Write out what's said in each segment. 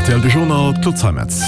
Rtl De Journal, d'Claude Zeimetz.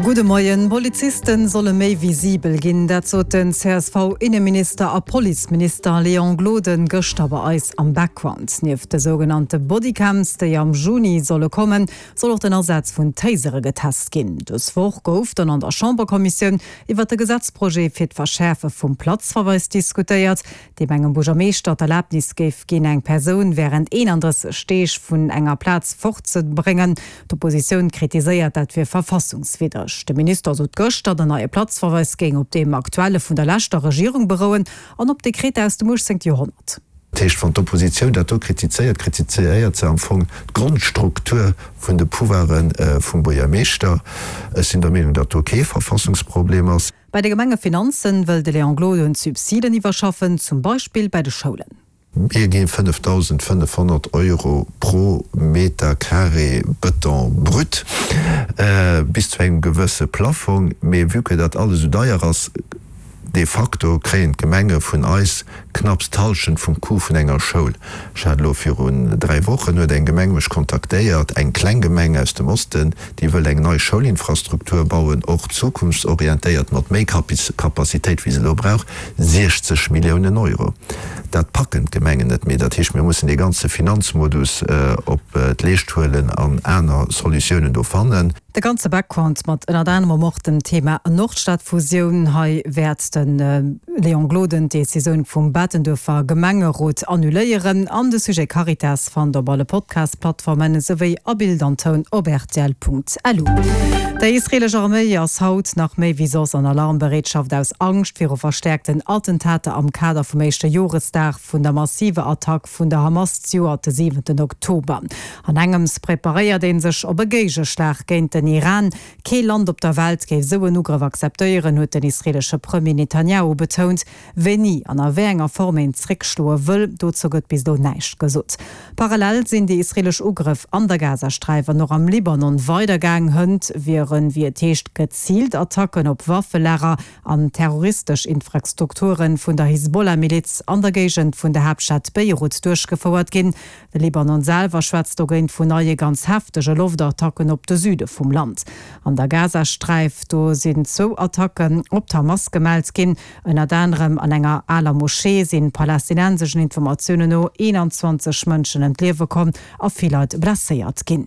Gudde Moien. Polizisten solle méi visibel ginn, dat sot den CSV-Inneminister a Policeminister Léon Gloden gëschter bei eis am Background. Nieft de sougenannte Bodycams, déi am Juni solle kommen, soll och den Asaz vun Tasere getest ginn. Dës Woch gouf dann an der Chamberkommissioun iwwert de Gesetzprojet fir d'Verschäerfe vum Platzverweis diskutéiert. deem engem Buergermeeschter d'Erlaabnis géif ginn, eng Persoun wärend 31 Deeg vun enger Plaz fortzebréngen. D'Oppositioun kritiséiert, dat wier verfassungswiddreg. De Minister sot gëschter, den neie Platzverweis géing op deem aktuelle vun der leschter Regierung berouen an op Dekreter aus dem 18. Joerhonnert. Dat heescht, wann d'Oppositioun dat do kritizéiert, kritizéiert se am Fong d'Grondstruktur vun de Pouvoire vum Buergermeeschter. Ech sinn der Meenung, datt do kee Verfassungsproblem ass. Bei de Gemengefinanzen wëll de Léon Gloden d'Subsiden iwwerschaffen, zum Beispill bei de Schoulen. Mir gi 5.500 Euro pro Meter carré Bëton brut, bis zu engem gewësse Plaffong. Mee vue que dat alles esou deier ass, de facto kréien d'Gemenge vun eis knapps d'Hallschent vum Coût vun enger Schoul. Ech hat elo virun 3 Wochen huet eng Gemeng mech kontaktéiert, eng kleng Gemeng aus dem Osten, déi wëll eng nei Schoulinfrastruktur bauen, och zukunftsorientéiert mat méi Capacitéit wéi se elo brauch, 60 Milliounen Euro. Dat packen d'Gemengen net méi. Dat heescht, mir mussen dee ganze Finanzmodus op d'Leescht huelen an aner Solutiounen do fannen. De ganze Background mat ënnert anerem och dem Thema Nordstadfusioun. Hei wäert de Léon Gloden d'Decisioun vum Bettenduerfer Gemengerot annuléieren. An de Sujet Caritas fannt op alle Podcast-Plattformen esouwéi a Bild an Toun op rtl.lu. Déi israelesch Arméi ass haut nach méi wéi soss an Alarmbereetschaft aus Angscht viru verstäerkten Attentater am Kader vum éischte Joresdag vun der massiver Attack vun der Hamas d'Joert de siwenten Oktober. An engems preparéiert ee sech op e Géigeschlag géint den Iran. Kee Land op der Welt géif esou en Ugrëff akzeptéieren, huet den israeelesche Premier Netanjahu betount. Wéini an a wéi enger Form een zréckschloe wëll, dozou gëtt bis elo näischt gesot. Parallel sinn déi israeelesch Ugrëff an der Gazasträif an och am Libanon weidergaang. Hënt wieren, wéi et heescht, geziilt Attacken op Waffelager an terroristesch Infrastrukture vun der Hisbollah-Miliz an der Géigend vun der Haaptstad Beirut duerchgefouert ginn. De Libanon selwer schwätzt dogéint vun neie ganz heftege Loftattacken op de Süde vum Land. An der Gazasträif, do sinn zwou Attacken op d'Hamas gemellt ginn. Ënnert anerem an enger aler Moschee sinn palästinenseschen Informatiounen no 21 Mënschen ëm d'Liewe komm a vill Leit blesséiert ginn.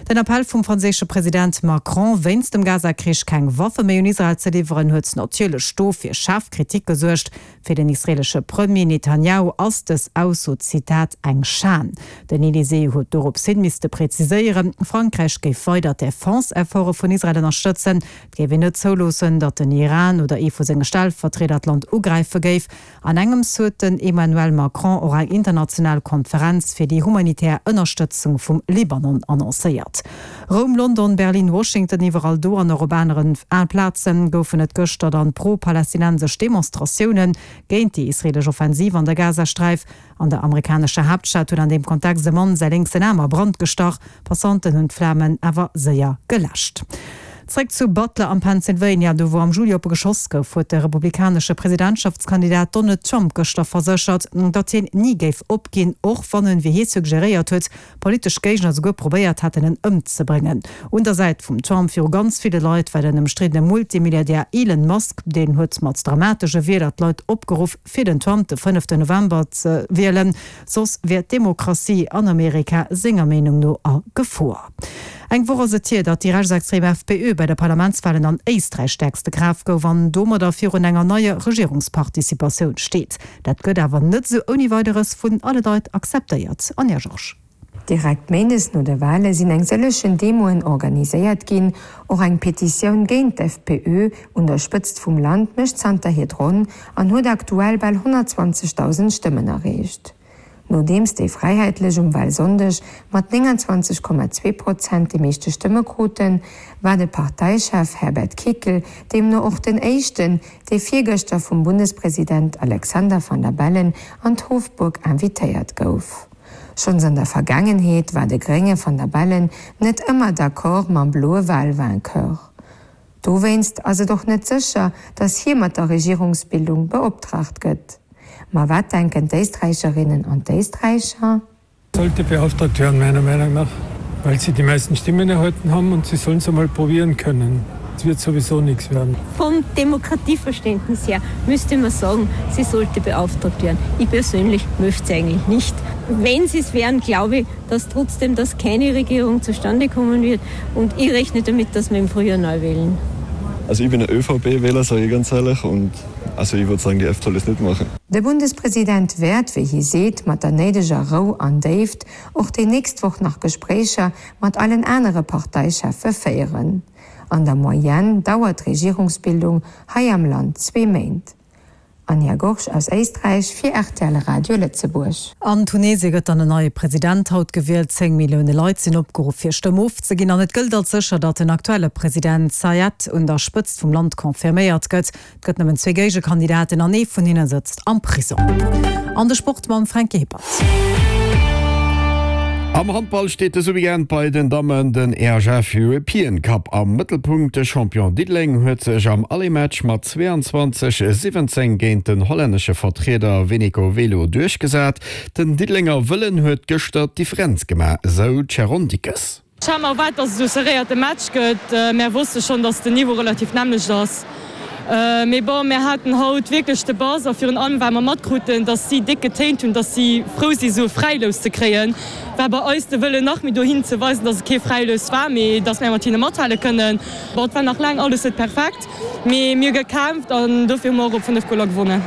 Den Appell vum franséische President Macron, wéinst dem Gaza-Krich keng Waffe méi un Israel ze liwweren, huet natierlech do fir schaarf Kritik gesuergt. Fir den israeelesche Premier Netanjahu ass dës Ausso, Zitat, eng Schan. Den Elysée huet dorops hin misste präziséieren, Frankräich géif weider d'Defense-Efforte vun Israel ënnerstëtzen. Et géif een net zouloossen, datt den Iran oder ee vu senge Stellvertrieder d'Land ugräife géif. An engems huet den Emmanuel Macron och eng international Konferenz fir déi humanitär Ënnerstëtzung vum Libanon annoncéiert. Roum, London, Berlin, Washington, iwwerall do an och op aneren Plazen goufen et gëschter dann pro-palästinensesch Demonstratioune géint déi israelesch Offensiv an der Gazasträif. An der amerikanescher Haaptstad huet an deem Kontext e Mann säi lénksen Aarm a Brand gestach. Passanten hunn d'Flamen awer séier geläscht. Zréck zu Butler am Pennsylvania, do wou am Juli oppe geschoss gouf, huet de republikanesche Presidentschaftskandidat Donald Trump gëschter verséchert, datt hien ni géif opginn, och wann en, wéi hie suggeréiert huet, Politesch Géigner souguer probéiert hätten en ëmzebréngen. Un der Säit vum Trump viru ganz ville Leit war den ëmstriddene Multimilliardär Elon Musk. Deen huet mat dramatesche Wierder d'Leit opgeruff fir den Trump de fënneften November ze wielen, soss wier d'Demokratie an Amerika senger Meenung no a Gefor. Eng Woch ass et hier, datt déi rechtsextrem FPÖ bei de Parlamentswalen an Éisträich stäerkste Kraaft gouf an domadder virun enger neier Regierungsparticipatioun steet. Dat gëtt awer net esou ouni Weideres vun alle Leit akzeptéiert. Anja Georges. Direkt méindes no de Wale sinn eng sëllechen Demoen organiséiert ginn. Och eng Petitioun géint d'FPÖ un der Spëtzt vum Land mécht zanterhier d'Ronn an huet aktuell bal 120.000 Stëmmen erreecht. Nodeems déi Fräiheetlech um Walsonndeg mat 29,2 Prozent déi meeschte Stëmme kruten, war de Parteichef Herbert Kickl deemno och den éischten, dee virgëschter vum Bundespresident Alexander Van der Bellen an d'Hofburg invitéiert gouf. Schonns an der Vergaangenheet war de grénge Van der Bellen net ëmmer d'accord mam bloe Walvainqueur. Dowéinst ass et och net sécher, datt hie mat der Regierungsbildung beoptraagt gëtt. Ma wat denken d'Éisträicherinnen an d'Éisträicher? Sollte beauftragt werden, meiner Meinung nach. Weil sie die meisten Stimmen erhalten haben und sie sollen es einmal probieren können. Es wird sowieso nichts werden. Vom Demokratieverständnis her müsste man sagen, sie sollte beauftragt werden. Ich persönlich möchte sie eigentlich nicht. Wenn sie es wären, glaube ich, dass trotzdem dass keine Regierung zustande kommen wird und ich rechne damit, dass wir im Frühjahr neu wählen. Also ich bin ein ÖVP-Wähler, sage ich ganz ehrlich und also ich würde sagen, die FPÖ soll es nicht machen. De Bundespresident wäert, wéi hie seet, mat der néideger Rou an Déift och déi nächst Woch nach Gespréicher mat allen anere Parteicheffe féieren. An der Moyenne dauert d'Regierungsbildung hei am Land zwee Méint. Anja Gorsch aus Éisträich fir rtl Radio Lëtzebuerg. An Tunesie gëtt dann en neie President haut gewielt. 10 Millioune Leit sinn opgeruff fir Stëmm ofzeginn an et gëllt als sécher, datt den aktuelle President Saied un der Spëtzt vum Land confirméiert gëtt. Et gëtt nëmmen zwee Géigekandidaten an ee vun hinne sëtzt am Prisong. An de Sport mam Fränki Hippert. Am Handball steet dëse Weekend bei den Dammen den EHF European Cup am Mëttelpunkt. De Champion Diddeleng huet sech am Aller-Match mat 22, 17 géint den hollännesche Vertrieder Veneco Velo duerchgesat. Den Diddelenger Wëllen huet gëschter d'Differenz gemaach, esou d'Sharon Dickes. Ech hat mer erwaart, dass et esou serréierte Match gëtt. Mär wosste schonn, dass den Niveau relativ nämmlecht ass. Mee bon, mär haten haut wierklech de Bass a virun allem well mer matkruten, dass si déck getéint hunn, dass si frou si sou e Fräilous ze kréien, war bei eis de Wëllen nach méi dohin ze weisen, dass et kee Fräilous war, mee dass mär mat hinne mathale kënnen. Bon, et war nach laang alles net perfekt, mee mir hu gekämpft an dofir hu mer och op 5 Goler gewonnen.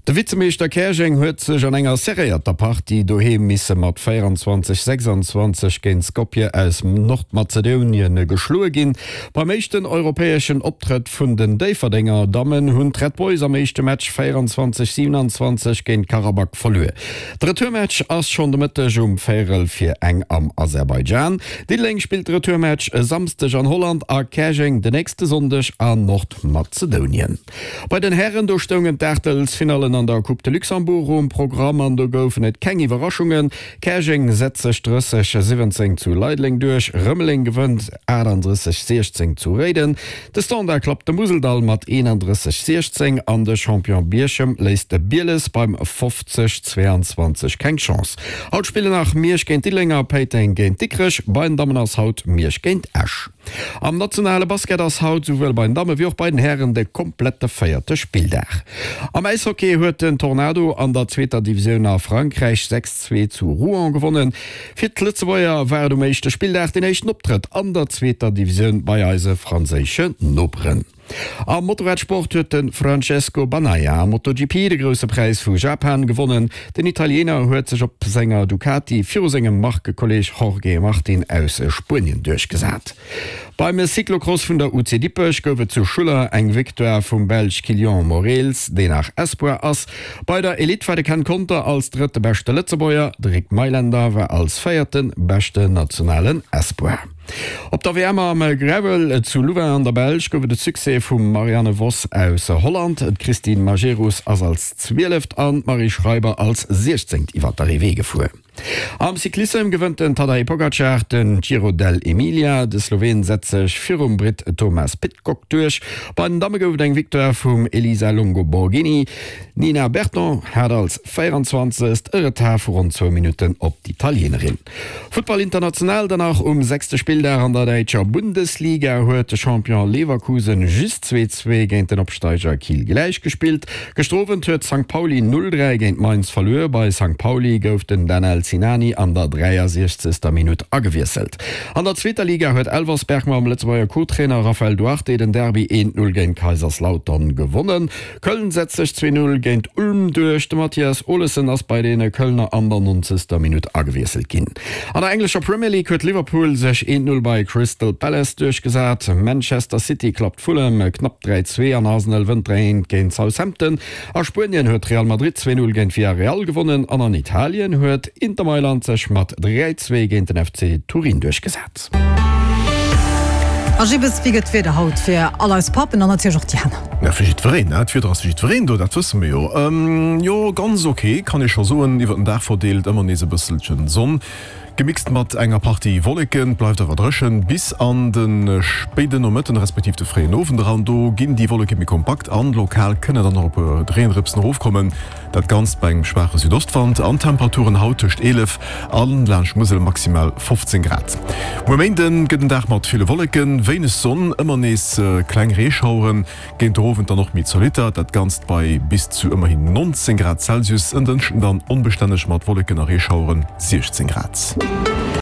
De Vizemeeschter Käerjeng huet sech an enger serréierter Partie doheem misse mat 24, 26 géint Skopje aus Nordmazedounien geschloe ginn. Beim éischten europäeschen Optrëtt vun den Déifferdenger Dammen hunn d'Red Boys am éischte Match 24, 27 géint Karabag verluer. De Retourmatch ass schonn de Mëtteg um véierel vir eng am Aserbaidschan. Diddeleng spillt de Retourmatch e Samsdeg an Holland a Käerjeng de nächste Sonndeg a Nordmazedounien. Bei den Hären, do stoungen d'Aachtelsfinallen an der Coupe de Luxembourg um Programm an do goufen et keng Iwwerraschungen. Käerjeng setzt sech 30, 17 zu Leideleng duerch, Rëmeleng gewënnt 38, 16 zu Réiden, de Standard klappt de Museldall mat 31, 16 an de Champion Bierchem léisst de Bieles beim 50, 22 keng Chance. Haut spillen nach Miersch géint Diddeleng a Péiteng géint Dikrech. Bei den Dammen ass haut Miersch géint Esch. Am nationale Basket ass haut souwuel bei den Damme wéi och bei den Hären de komplette véierte Spilldag. Am Äishockey huet den Tornado an der zweeter Divisioun a Frankräich 6, 2 zu Rouen gewonnen. Fir d'Lëtzebuerger war et um éischte Spilldag deen éischten Optrëtt an der zweeter Divisioun bei eise franséische Noperen. Am Motorradsport huet de Francesco Bagnaia am MotoGP de Grousse Präis vu Japan gewonnen. Den Italiener huet sech op senger Ducati viru sengem Markekolleeg Jorge Martin aus Spuenien duerchgesat. Beim Cyclocross vun der UC Dippech gouf et zu Schuller eng Victoire vum Belsch Kilian Moreels, deen nach Espoir ass. Bei der Elite war de Ken Conter als drëtte beschte Lëtzebuerger, de Rick Meylender war als véierte beschten nationalen Espoir. Op der WM am Gravel zu Louvain an der Belsch gouf et e Succès vum Marianne Vos aus Holland. D'Christine Majerus ass als Zwieleft an d'Marie Schreiber als Siechzéngt iwwer d'Arrivée gefuer. Am Cyclissem gewënnt den Tadej Pogacar den Giro dell'Emilia. De Sloween setzt sech virum Britt Thomas Pidcock duerch. Bei den Damme gouf et eng Victoire vum Elisa Longo Borghini. D'Nina Berton hat als 24. e Retard vu ronn zwou Minutten op d'Italienerin. Futtball international dann nach, Um sechste Spilldag an der däitscher Bundesliga huet de Champion Leverkusen just 2, 2 géint den Opsteiger Kiel gläich gespillt. Gëschter Owend huet Sankt Pauli 0, 3 géint Mainz verluer. Bei Sankt Pauli gouf den Danel Sinani an der 63. Minutt agewiesselt. An der zweeter Liga huet Elversberg mam Lëtzebuerger Co-Trainer Raphael Duarte den Derby 1, 0 géint Kaiserslautern gewonnen. Köln setzt sech 2, 0 géint Ulm duerch. De Mathias Olesen ass bei deene Kölner an der 90. Minutt agewiesselt ginn. An der englescher Premier League huet Liverpool sech 1, 0 bei Crystal Palace duerchgesat. Manchester City klappt Fulham knapp 3, 2 an Arsenal wënnt 3, 1 géint Southampton. A Spuenien huet Real Madrid 2, 0 géint Villarreal gewonnen an an Italien huet Inter Mailand sech mat 3, 2 géint den FC Turin duerchgesat. A Gibbes, wéi gëtt d'Wieder haut fir all eis Pappen an natierlech och déi aner? Ja, fir jiddwereen, ne? D'Wieder ass fir jiddwereen do, dat wësse mer jo. Jo, ganz ok, kann ee scho soen. Iwwer den Dag verdeelt ëmmer nees e bësselchen Sonn, gemixt mat enger Partie Wolleken. Et bleift awer dréchen bis an de spéiden Nomëtten respektiv de fréien Owend eran. Do ginn déi Wolleke méi kompakt an lokal kënne dann och e puer Reendrëpsen erofkommen. Dat Ganzt bei engem schwaache Südostwand an Temperaturen haut tëscht 11 an laanscht Musel maximal 15 Grad. Muer Méinden gëtt en Dag mat ville Wolleken, wéineg Sonn, ëmmer nees kleng Reeschaueren, géint de Owend dann och méi zolitter. Dat Ganzt bei bis zu ëmmerhin 19 Grad Celsius. En Dënschden dann onbestänneg mat Wolleken a Reeschaueren, 16 Grad.